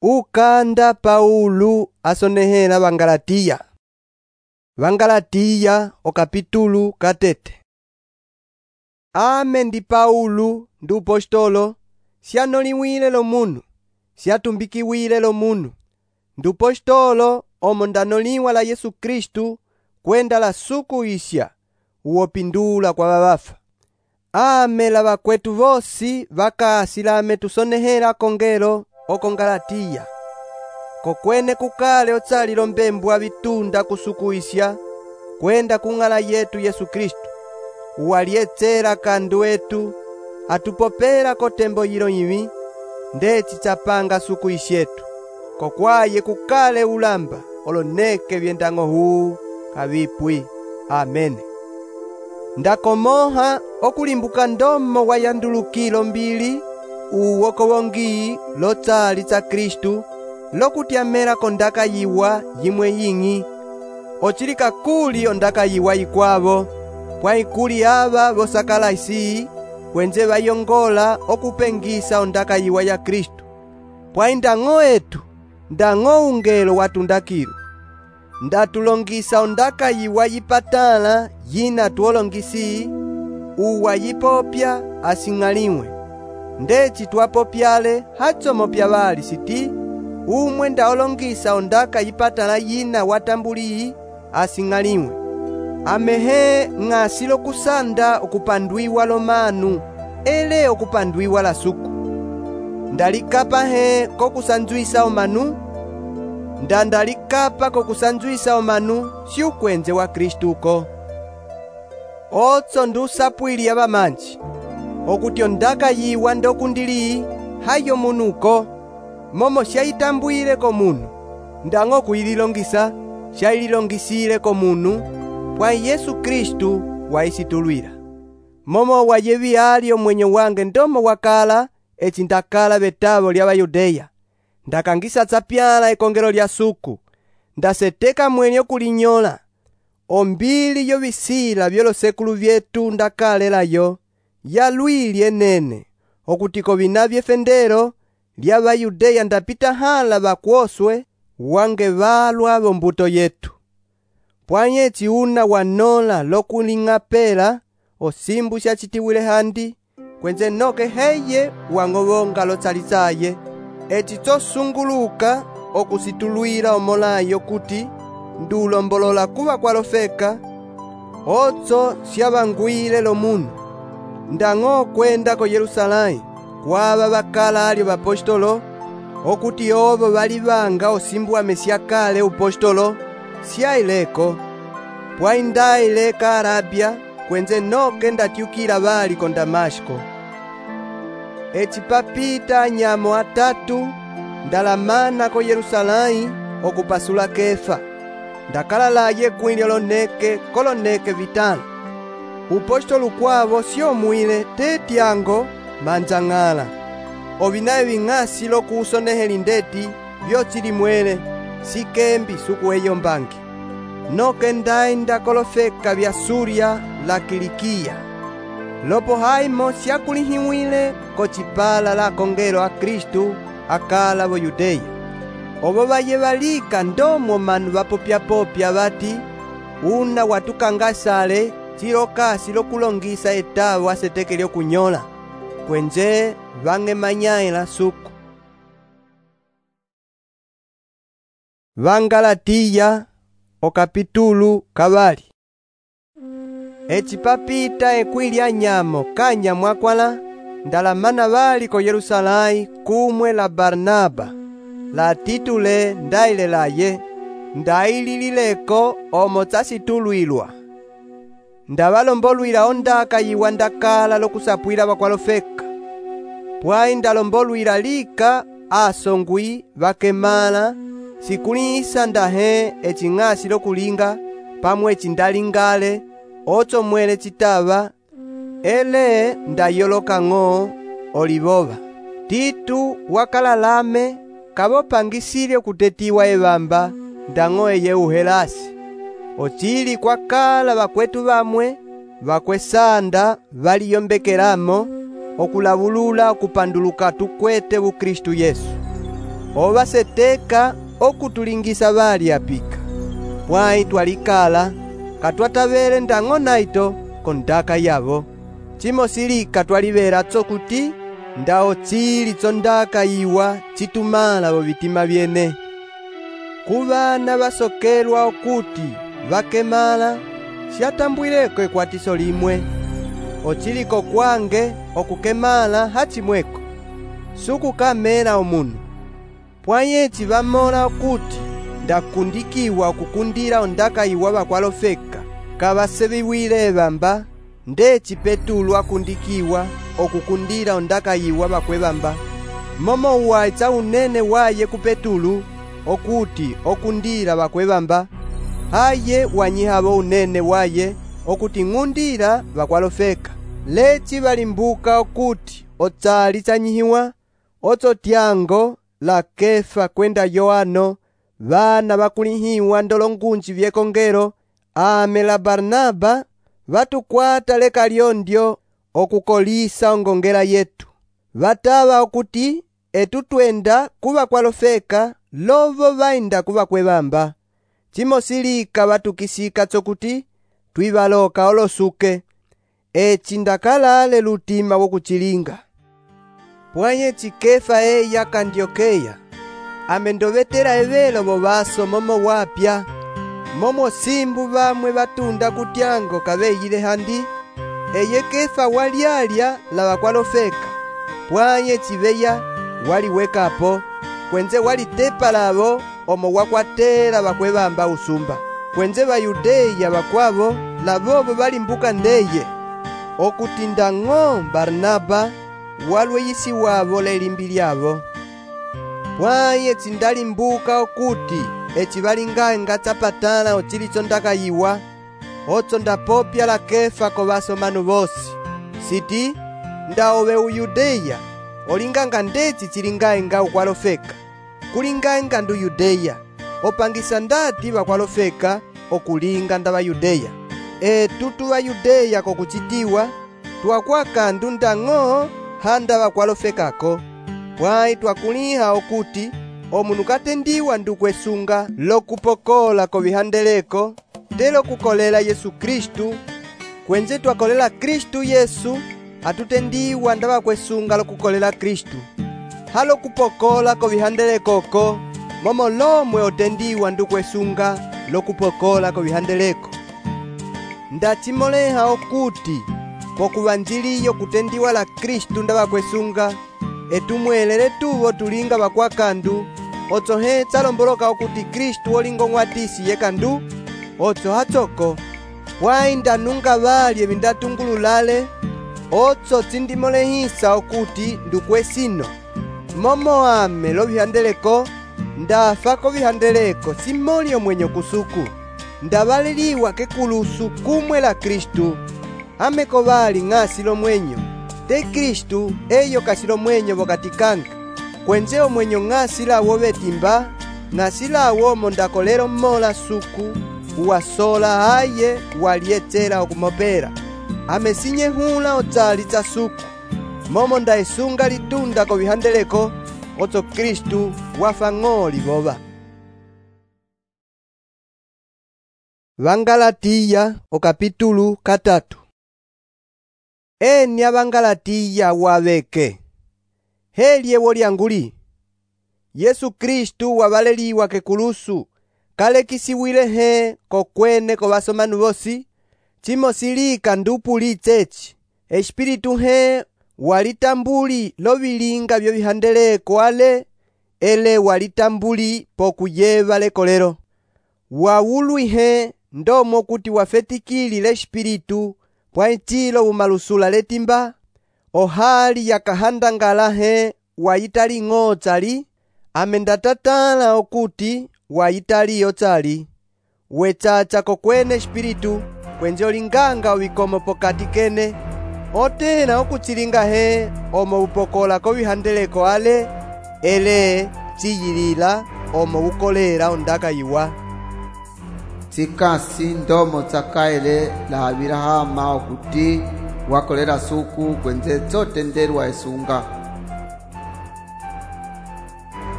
Ukanda Paulo asonehela Vangalatiya. Vangalatiya okapitulu katete. Ame ndi Paulo ndi upostolo, sianoliwile lo munu, siatumbikiwile lo munu. Ndi upostolo omo ndanoliwa la Yesu Kristu kwenda la suku isya uwopindula kwa vawafa. Ame la vakwetu vosi vakasilame tusonehela kongelo oko Galatiya. Kokwene kukale otsalilo mbembu wa vitunda kusuku isya kwenda kung'ala yetu Yesu Kristu. Uwalietsela kandu wetu atupopela kotembo yilo yiwi ndeci chapanga suku isyetu. Kokwaye kukale ulamba oloneke vyendang'o huu kavipwi. Amene. Ndakomoha okulimbuka ndomo wa yandulukilo mbili uwoko wongi lotsali tsa Kristu lokutyamela kondaka yiwa yimwe ying'i. Ochilika kuli ondaka yiwa ikwavo pwaikuli ava vosakala isi kwenze vayongola okupengisa ondaka yiwa ya Kristu. Pwai ndang'o etu ndang'o ungelo watundakilo ndatulongisa ondaka yiwa yipatala yina tuolongisi uwa yipopya asing'aliwe. Ndeci twapopyale hatsomo pyavali siti umwe ndaolongisa ondaka yipatala yina watambuli asing'aliwe. Amehe ng'asilo kusanda okupandwiwa lomanu ele okupandwiwa la suku. Ndalikapa he kokusanzwisa omanu ndalikapa kokusanzwisa omanu si ukwenze wa Kristuko. Otso ndusapwili avamanji okuti ondaka yiwa ndokundili hayo munuko momo syayitambwile ko munu ndang'o kuyililongisa syayililongisile ko munu pwai Yesu Kristu waisitulwila. Momo wayevi ali omwenye wange ndomo wakala eci ndakala vetavo lya Bayudeya. Ndakangisa tsapyala ekongelo lya suku ndaseteka mwenye okulinyola ombili yo visila vyolosekulu vyetu ndakalelayo yalwili enene okutiko vina vyefendero lya Bayudeya ndapita hala vakwoswe wange valwa vombuto yetu. Pwanye eci una wanola lokuling'apela osimbu syachitiwile handi kwenze noke heye wang'ovonga lotsalitsaye eci tosunguluka okusitulwila omolayo kuti ndulombolola kuva kwalofeka otso syavangwile lo munu. Ndang'o kwenda ko Yerusalemu kwava vakala alyo vapostolo okuti ovo valivanga osimbu wa mesyakale upostolo syaileko. Pwai ndaileka Arabia kwenze noke ndatyukila vali ko Damashko. Eci papita anyamo atatu ndalamana ko Yerusalemu okupasula Kefa. Ndakalalaye kwilyo loneke koloneke vitano. Upostolo kwavo syomwile tetyango manzang'ala. Ovinaye ving'asi lokusonehela ndeti vyotsilimwele sikembi sukueyo mbangi. Noke ndai ndakolofeka vya Surya la Kilikiya. Lopo haimo syakulihiwile kocipala la kongelo a Kristu akala vo Yudeya. Ovo vayevalika ndomo manu vapopya-popya vati una watukangasale chilokasi lokulongisa etavo aseteke lyokunyola kwenze vang'emanyaila suku. Vangalatiya okapitulu kavali. Eci papita ekwili anyamo kanyamwakwala ndalamana vali ko Yerusalemu kumwe la Barnaba la Titule ndailelaye ndaililileko omo tsasitulwilwa. Ndavalombolwila ondaka yiwa ndakala lokusapwila vakwalofeka. Pwai ndalombolwila lika asongwi vakemala sikulisa ndahe eci ng'asi lokulinga pamwe eci ndalingale otso mwele citava ele ndayoloka ng'o olivova. Titu wakalalame kavopangisile okutetiwa evamba ndang'o eye uhelasi. Ochili kwakala vakwetu vamwe vakwesanda valiyombekelamo okulavulula okupanduluka tukwete vu Kristu Yesu. ovaseteka okutulingisa vali apika. Pwãyi twalikala katwatavele ndañgo naito kondaka yavo. Cimosilika twalivela tsokuti ndawo tsili tsondaka iwa citumala vo vitima vyene. Kuvana vasokelwa okuti vakemala siatambwileko ekwatiso limwe. Ociliko kwange okukemala hacimweko sukukamela omunu. Pwãyi eci vamola okuti ndakundikiwa okukundila ondaka iwa vakwalofeka kavaseviwile evamba, ndeci Petulo akundikiwa okukundila ondaka iwa vakwevamba. Momo waca unene waye ku Petulo okuti okundila vakwevamba, haye wanyihavo unene waye okuti ng'undila vakwalofeka. Leci valimbuka okuti otsali tsanyihiwa otso tyango la Kefa kwenda Yohano, vana vakulihiwa ndolongunji vyekongelo, ame la Barnaba vatukwata leka lyondyo okukolisa ongongela yetu. Vatava okuti etu twenda kuvakwalofeka lovo vainda kuvakwevamba. Cimosilika vatukisika tsokuti twivaloka olosuke. Eci ndakalale lutima wokucilinga. Pwãyi eci Kefa eya kandiokeya amendovetela evelo vovaso momo wapya. Momo simbu vamwe vatunda kutyango kaveyile handi. Eye Kefa walyalya la vakwalofeka. Pwãyi eci veya waliwekapo kwenze walitepa lavo omo wakwatela vakwevamba usumba. Kwenze Vayudeya vakwavo lavovo valimbuka ndeye okuti ndañgo Barnaba walweyisi wavo lelimbi lyavo. Pwãyi eci ndalimbuka okuti eci valinga tsapatala ocili tsondaka iwa otso ndapopya la Kefa kovasomanu vosi. Siti ndaove Uyudeya olinganga ndeci cilingaenga ukwalofeka. Kulingaenga ndu Yudeya opangisa ndati vakwalofeka okulinga nda Vayudeya. Etu tu Vayudeya kokucitiwa twakwaka ndu ndañgo handa vakwalofekako. Pwãyi twakuliha okuti omunu katendiwa ndu kwesunga lokupokola kovihandeleko telo kukolela Yesu Kristu. Kwenze twakolela Kristu Yesu atutendiwa nda vakwesunga lokukolela Kristu. Halo kupokola kovihandelekoko momo lomwe otendiwa ndu kwesunga lokupokola kovihandeleko. Ndacimoleha okuti pokuvanjiliyo kutendiwa la Kristu nda vakwesunga etumwelele tuvo tulinga vakwakandu otso hetsa lomboloka okuti Kristu olingo ng'watisi yekandu otso hatsoko. Pwãyi ndanunga vali evi ndatungululale otso tsindimolehisa okuti ndukwesino. Momo ame lovihandeleko ndafa kovihandeleko simoli omwenyo kusuku. Ndavaleliwa kekulusu kumwe la Kristu. Ame kovali ng'asi lomwenyo te Kristu eyo kasi lomwenyo vokati kanga. Kwenze omwenyo ng'asi lawo vetimba ng'asi lawo omo ndakolelo mmola suku uwasola haye walyetsela okumopela. Ame sinyehula otsali tsa suku momo ndaesunga litunda kovihandeleko otso Kristu wafa ng'oli vova. Vangalatiya okapitulu 3. Eni avangalatiya waveke helye wolyanguli. Yesu Kristu wavaleliwa kekulusu kalekisiwile he kokwene kovasomanu vosi. Cimosilika ndupulitse eci Espiritu he walitambuli lovilinga vyovihandeleko ale ele walitambuli pokuyeva lekolelo. Wawulwihe ndomo kuti wafetikilile Espiritu pwãyi cilo umalusula letimba ohali yakahandangalahe wayitali ng'otsali ame ndatatala okuti wayitali yotsali. Wetsacha kokwene Espiritu kwenze olinganga ovikomo pokati kene otela okucilinga he omo upokola kovihandeleko ale ele ciyilila omo ukolela ondaka iwa. Tsikasi ndomo tsakaele la Abilahama okuti wakolela suku kwenze tsotendelwa esunga.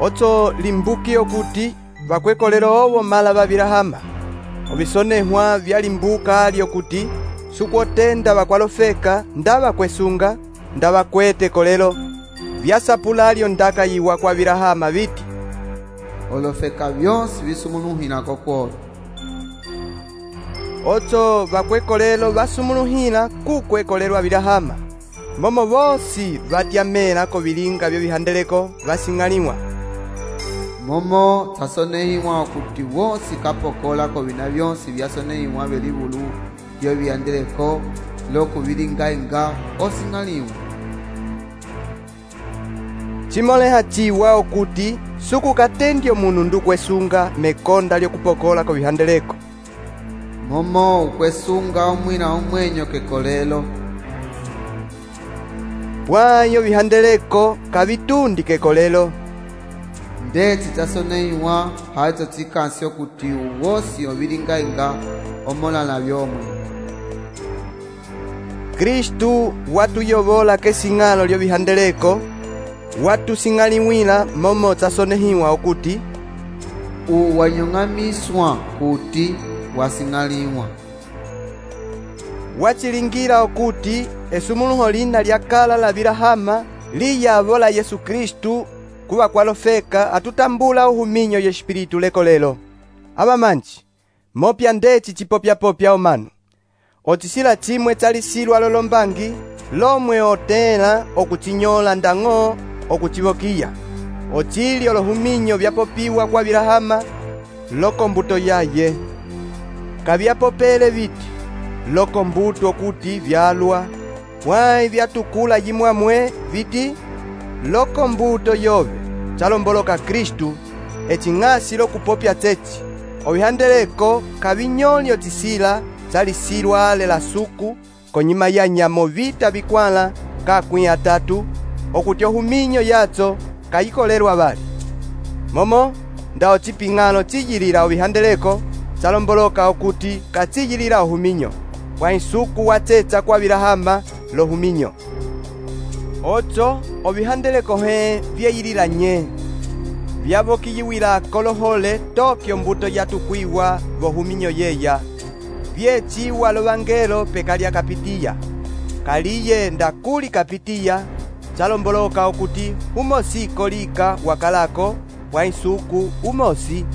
Otso limbuki okuti vakwekolelo owo mala vavilahama. Ovisonehwa vyalimbuka lyokuti sukwotenda vakwalofeka nda vakwesunga nda vakwete kolelo. Vyasapula lyondaka yiwa kwa vilahama viti olofeka vyonsi visumuluhina kokwolo. Otso vakwekolelo vasumuluhina kukwekolelwa vilahama. Momo vosi vatyamela kovilinga vyovihandeleko vasing'aliwa. Momo tasonehiwa okuti wosi kapokola kovina vyonsi vyasonehiwa velivulu vyovihandeleko lokuvilinga-inga osing'aliwa. Chimoleha chiwa okuti sukukatendya omunu ndukwesunga mekonda lyokupokola kovihandeleko. Momo ukwesunga omwina omwenyo kekolelo. Pwayo vihandeleko kavitundi kekolelo. Ndeti tasonehiwa haito tikansi okuti uwosi ovilinga-inga omolana vyomwe. Kristu watuyovola kesing'alo lyovihandeleko, watusing'aliwila momo tasonehiwa okuti uwanyong'amiswa kuti wasing'aliwa. Wachilingira okuti esumuluho lina lyakala la vilahama liyavola Yesu Kristu kuva kwalofeka atutambula uhuminyo yespiritu lekolelo. Abamanji, mopya ndeci chipopya-popya omanu. Otisila chimwe chalisilwa lolombangi, lomwe otela okuchinyola ndang'o okuchivokiya. Ochili olohuminyo vyapopiwa kwa vilahama, loko mbuto yaye. Kavyapopele viti, loko mbuto okuti vyalwa, pwai vyatukula yimwamwe viti, loko mbuto yove, chalomboloka Kristu, eching'asi lokupopya chechi. Ovihandeleko kavinyolyo tisila chalisilwa lela suku, konyima ya nyamo vita vikwala kakwi atatu, okuti ohuminyo yatso kayikolelwa vali. Momo nda ochiping'alo chiyilila ovihandeleko, chalomboloka okuti kachiyilila ohuminyo, kwa insuku wachecha kwa vilahama lohuminyo. Otso ovihandeleko he vyeyilila nye. Vyavokiyiwila kolohole tokyo mbuto yatukwiwa vohuminyo yeya. Vyechiwa lovangelo pekalya kapitiya. Kaliye ndakuli kapitiya, chalomboloka okuti umosi kolika wakalako wa insuku umosi.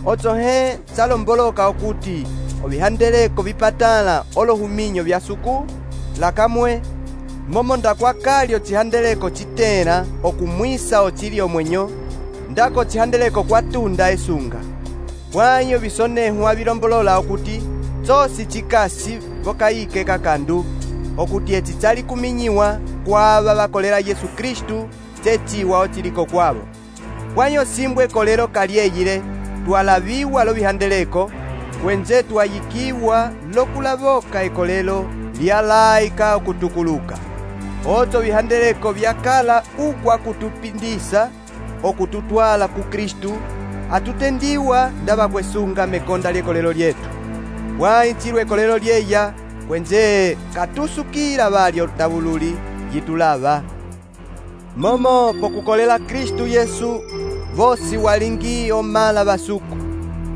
Otso he chalomboloka okuti ovihandeleko vipatala olohuminyo vya suku lakamwe, momo ndakwakalyo chihandeleko chitela okumwisa ochili omwenyo, ndako chihandeleko kwatunda esunga. Pwayo visonehwa vilombolola okuti chosi chikasi vokayike kakandu, okuti eci chali kuminyiwa kwava vakolela Yesu Kristu chechiwa ochiliko kwavo. Pwayo simbwe kolelo kalyeyile twalaviwa lovihandeleko, kwenze twayikiwa lokulavoka ekolelo lyalaika okutukuluka. Otso vihandeleko vyakala ukwa kutupindisa okututwala ku Kristu, atutendiwa ndavakwesunga mekonda lyekolelo lyetu. Pwaichilwe ekolelo lyeya, kwenze katusukila valyo davululi yitulava. Momo pokukolela Kristu Yesu, vosi walingi omala vasuku.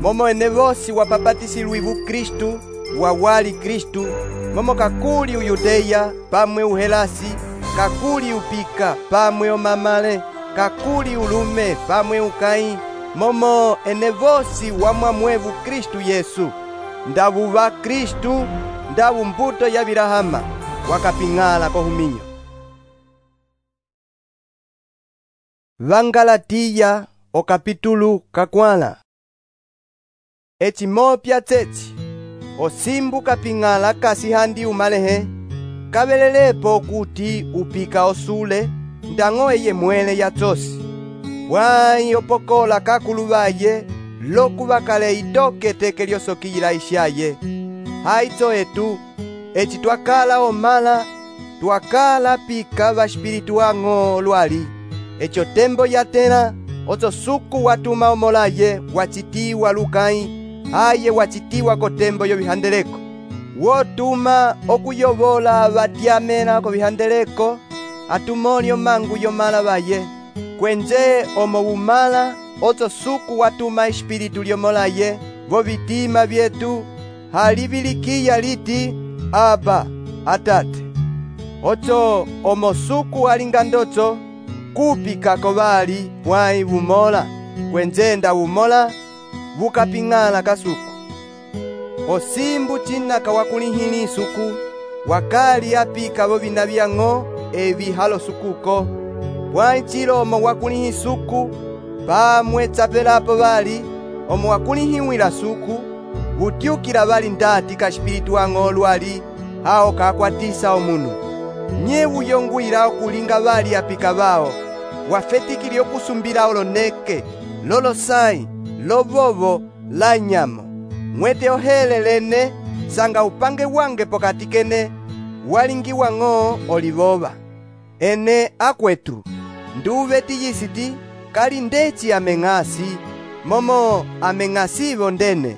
Momo ene vosi wapapatisilwivu Kristu, wawali Kristu. Momo kakuli uyudeya pamwe uhelasi, kakuli upika pamwe omamale, kakuli ulume pamwe ukai. Momo ene vosi wamwamwevu Kristu Yesu. Ndavuva Kristu, ndavu mbuto ya vilahama, wakaping'ala kohuminyo. Vangalatiya okapitulu kakwala. Echimopya chechi, osimbu kaping'ala kasihandi umalehe, kabelelepo okuti upika osule, ndang'o eye mwele ya chosi. Pwai opokola kakuluvaye, loku vakale itoke teke lyosokiyila ishaye. Haitso etu, echi twakala omala, twakala pika vashpiritu wang'o lwali. Echo tembo yatela, otso suku watuma omolaye wachitiwa lukai, aye wachitiwa kotembo yovihandeleko. Wotuma okuyovola vatyamela kovihandeleko, atumolyo mangu yomala vaye, kwenje omo umala oto suku watuma espiritu lyomolaye vo vitima vyetu halibilikiya liti Aba, Atate. Oto omo suku alinga ndoto kupika kovali pwai vumola kwenje nda umola vukaping'ala kasuku. Osimbu chinaka wakulihili suku wakali apika vo vina vyang'o evi halo sukuko pwai chilomo wakulihi suku pamwe tsapelapo vali omo wakulihiwila suku vutyukila vali ndati ka espiritu wang'o lwali hao kakwatisa omunu nye uyongwila okulinga vali apika vao wafetikili okusumbila oloneke lolosai lovovo la nyamo mwete ohelelene sanga upange wange pokati kene walingi wang'o olivova. Ene akwetu nduve tiyisiti kali ndeci ameng'asi momo ameng'asivo ndene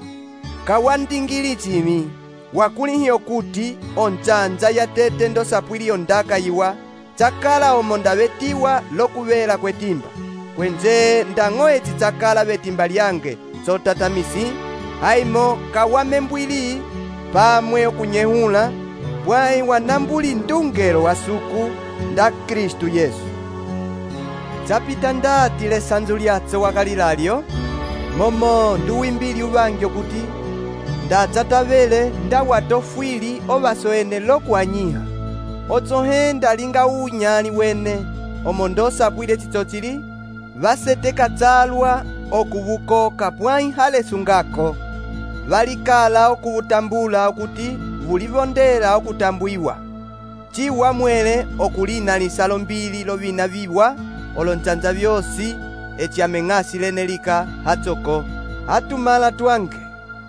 kawandingili chimi wakulihiyo kuti onchanja yatete ndosapwili ondaka yiwa chakala omo ndavetiwa lokuvela kwetimba kwenje ndang'o eci chakala vetimba lyange sotatamisi haimo kawamembwili pamwe okunyehula pwai wanambuli ndungelo wa suku nda Kristu Yesu. Chapita ndati lesanzu lyatso wakalilalyo momo nduwimbili uvangyo kuti ndatsatavele ndawatofwili ovasoene lokuanyiha otsohenda linga unyali wene omo ndosapwile chitsochili vaseteka tsalwa okuvukoka pwai halesungako valikala okuvutambula okuti vulivondela okutambwiwa chiwa mwele okulina lisalo mbili lovina viwa olonchanja vyosi eci ameng'asi lenelika hatsoko atumala twange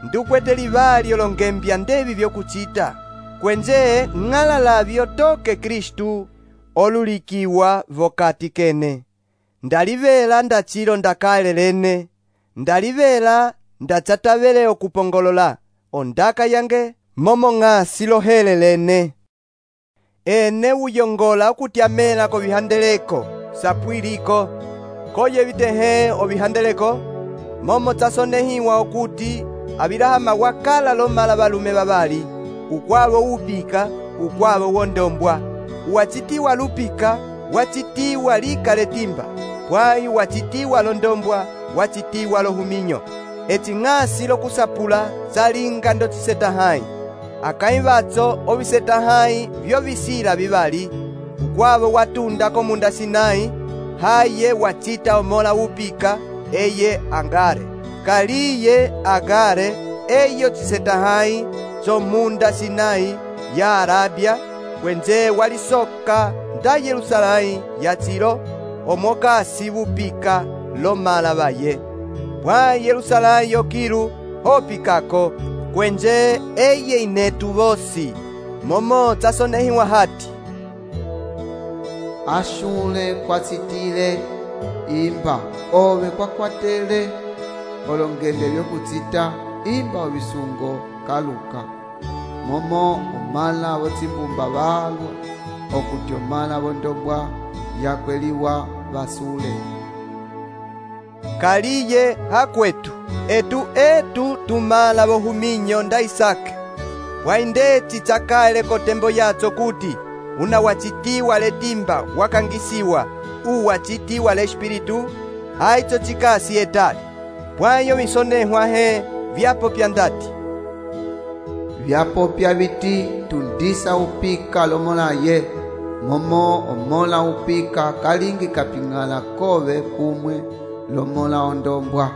ndukwete livali olongembya ndevi vyokuchita kwenje ng'alalavyo toke Kristu olulikiwa vokati kene ndalivela ndachilo ndakalelene ndalivela ndatsatavele okupongolola ondaka yange momo ng'asi lohelelene. Ene uyongola okutyamela kovihandeleko sapwiliko koye vitehe ovihandeleko momo tsasonehiwa okuti avilahama wakala lomala valume vavali ukwavo upika ukwavo wondombwa uwachitiwa lupika wachitiwa likale timba pwai wachitiwa londombwa wachitiwa lohuminyo eti ng'asi lokusapula zalinga ndotiseta hai akaivatso oviseta hai vyo visila vivali ukwavo watunda komunda Sinai haye wachita omola upika eye Angare kaliye Agare eyo chiseta hai chomunda Sinai ya Arabia kwenje walisoka nda Yerusalai yachilo omokasi vupika lomala vaye pwa Yerusalai yokilu hopikako kwenje eye inetu vosi momo tsasonehiwa hati ashule kwatsitile imba ove kwakwatele olongende vyokutsita imba ovisungo kaluka momo omala votsimbumba valwa okuti omala vondombwa yakweliwa vasule kaliye hakwetu etu tumala vohuminyo nda Isake waindeci chakale kotembo yatso kuti unawachitiwa letimba wakangisiwa uwachitiwa le espiritu haitso chikasi etali pwayo visonehwa he vyapopya ndati vyapopya viti tundisa upika lomolaye momo omola upika kalingi kaping'ala kove kumwe lomola ondombwa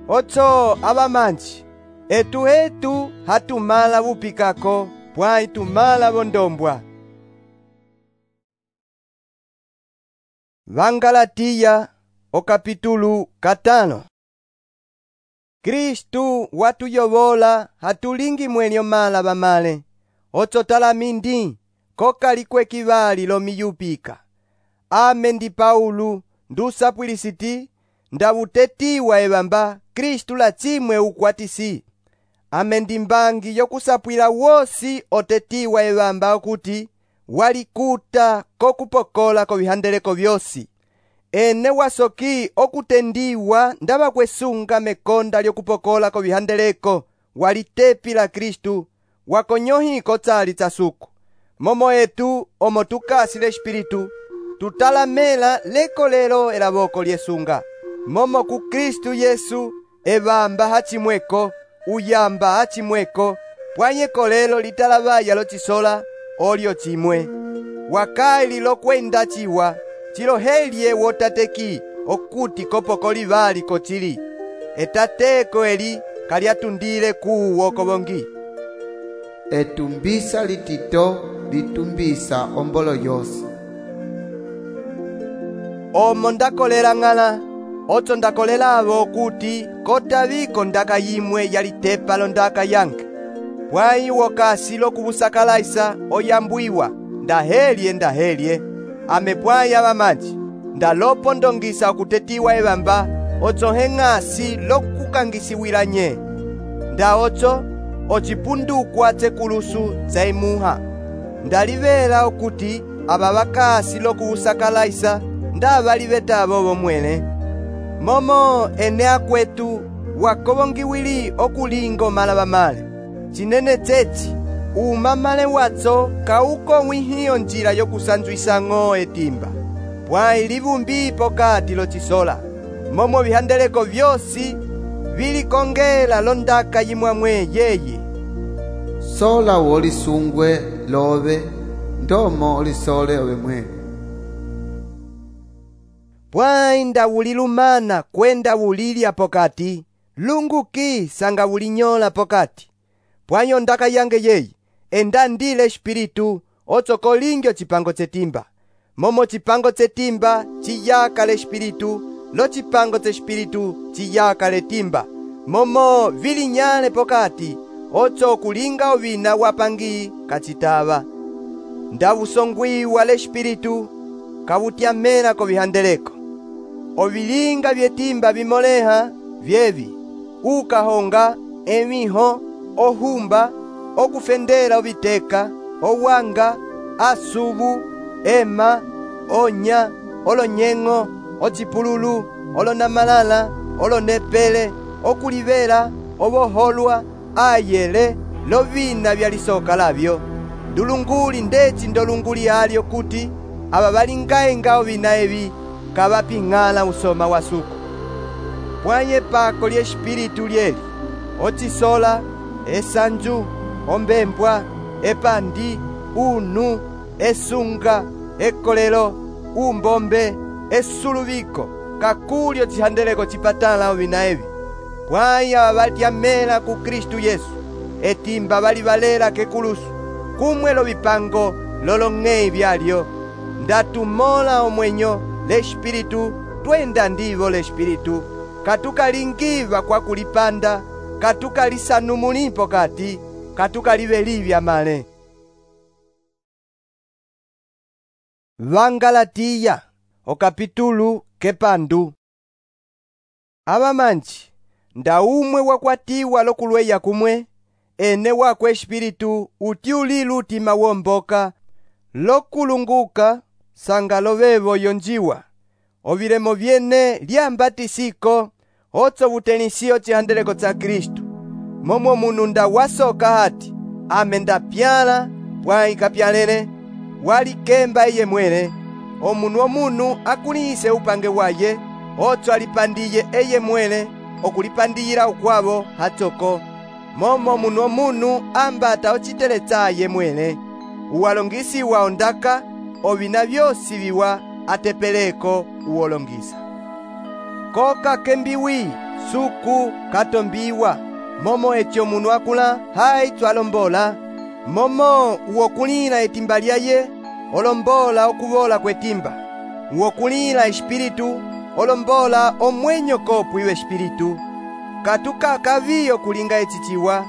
otso avamanji etu hatumala vupikako pwai tumala vondombwa. Vangalatiya okapitulu 5. Kristu watuyovola hatulingi mwenyo mala vamale otso talamindi kokalikwe kivali lomiyupika ame ndi Paulo ndusapwilisiti ndavutetiwa evamba Kristu lachimwe ukwatisi ame ndi mbangi yokusapwila wosi otetiwa evamba okuti walikuta kokupokola kovihandeleko vyosi. Ene wasoki okutendiwa ndava kwesunga mekonda lyokupokola kovihandeleko walitepi la Kristu wakonyohi kotsali tsa suku. Momo etu omo tukasile Espiritu tutalamela lekolelo elavoko lyesunga. Momo ku Kristu Yesu evamba hachimweko, uyamba hachimweko, pwanye kolelo litalavaya lochisola olyo chimwe. Wakaili lokwenda chiwa chilohelye wotateki okuti kopokoli vali kochili. Etateko eli kalyatundile kuwo kovongi. Etumbisa litito litumbisa ombolo yosi. Omo ndakolela ng'ala, otso ndakolela avo okuti kotaviko ndaka yimwe yalitepa londaka yange. Pwayi wokasi lokuvusakalaisa oyambwiwa ndahelye, ame pwayi avamanji ndalopo ndongisa okutetiwa evamba otso heng'asi lokukangisiwila nye. Nda otso ocipundukwa tsekulusu tsa imuha. Ndalivela okuti ava vakasi lokuvusakalaisa ndavaliveta vomwene. Momo ene akwetu wakovongiwili okulinga omala vamale. Chinene tsetsi umamale watso kauko mwihiyo njila yokusanzwisang'o etimba. Pwayi livumbi pokati lochisola. Momo vihandeleko vyosi vilikongela londaka yimwamwe yeye. Sola wolisungwe love, ndomo olisole ove mwene. Pwayi ndawulilumana kwenda wulilya pokati, lunguki sanga wulinyola pokati. Pwayi ondaka yange yeye enda ndile Espiritu otso kolingyo chipango tsetimba. Momo chipango tsetimba chiyaka le Espiritu, lo chipango tse Espiritu chiyaka le timba. Momo vilinyale pokati otso kulinga ovina wapangi kachitava. Ndavusongwiwa le Espiritu kavutyamela kovihandeleko. Ovilinga vyetimba vimoleha vyevi: ukahonga, emiho, ohumba, okufendela oviteka, owanga, asubu, ema, onya, olonyeng'o, ochipululu, olonamalala, olonepele, okulivela, ovoholwa, ayele, lovina vyalisoka lavyo. Ndulunguli ndeci ndolunguli alyo kuti ava valingaenga ovina evi kavaping'ala usoma wa suku. Pwaye pako lye Espiritu lyeli ochisola, esanju, ombembwa, epandi, unu, esunga, ekolelo, umbombe, esuluviko, kakulyo chihandeleko chipatala ovina evi. Pwayi ava vatyamela ku Kristu Yesu etimba valivalela kekulusu kumwelo vipango lolong'ei vyalyo. Ndatumola omwenyo le Espiritu twenda ndivo le Espiritu, katukalingiva kwa kulipanda, katukalisanumulipo kati, katukaliveliva male. Vangalatiya okapitulu kepandu. Avamanji ndaumwe wakwatiwa lokulweya kumwe, ene wakwe Espiritu uti ulilu utima womboka lokulunguka sanga lovevo yonjiwa. Ovilemo vyene lyambatisiko otso vutenisio chihandeleko tsa Kristu. Momo munu ndawasoka hati ame ndapyala pwayi kapyalele walikemba iye mwene. Omunu akulise upange waye otso alipandiye eye mwene okulipandiyila ukwavo hatsoko. Momo munu ambata ochiteletsa ye mwene uwalongisiwa ondaka ovina vyosi viwa atepeleko uwolongisa. Koka kembiwi suku katombiwa momo echo munu akula hai twalombola. Momo uwokulila etimba lyaye olombola okuvola kwetimba. Uwokulila Espiritu olombola omwenyo kopu iwe Espiritu. Katuka kaviyo kulinga echichiwa.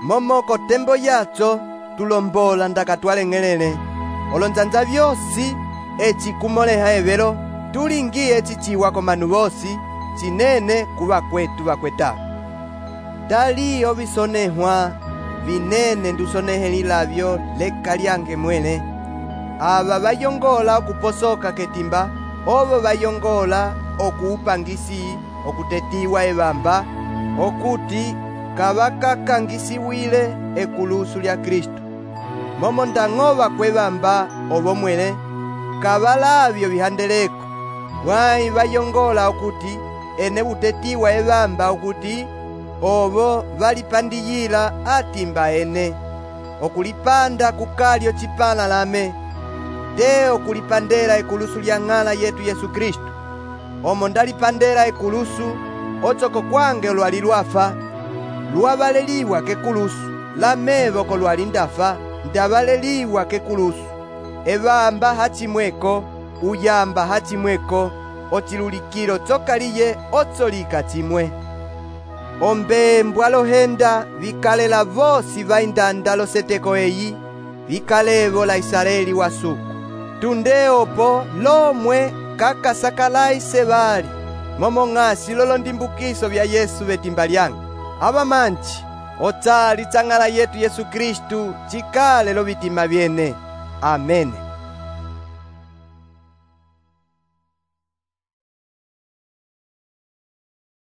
Momo kotembo yatso tulombola ndaka twaleng'elele. Olonzanza vyosi echi kumoleha evelo tulingiye echichiwa komanu vosi chinene kuva kwetu vakweta. Taliyo visonehwa vinene ndusonehelilavyo leka lyange mwene. ava vayongola okuposoka ketimba, ovo vayongola okuupangisi okutetiwa evamba, okuti kavakakangisiwile ekulusu lya Kristu. Momo ndang'ova kwevamba ovo mwele, kavalavyo vihandeleko, mwayi vayongola okuti ene utetiwa evamba okuti ovo valipandiyila atimba ene, okulipanda kukalyo cipala lame, te okulipandela ekulusu lya ng'ala yetu Yesu Kristu. Omo ndalipandela ekulusu, otsoko kwange lwali lwafa, lwavaleliwa kekulusu, lamevo ko lwali ndafa, ndavaleliwa kekulusu. Evamba hacimweko, uyamba hacimweko, ocilulikilo tsokaliye otsolika cimwe. Ombembwa lohenda vikalela vosi vaindanda loseteko eyi, vikalevo la Israeli wasuku. Tunde opo lomwe kakasakalayi sevali, momo ng'asi lolondimbukiso vya Yesu vetimba lyanga. Ava manji, otsali tsang'ala yetu Yesu Kristu cikale lo vitima vyene. Amene.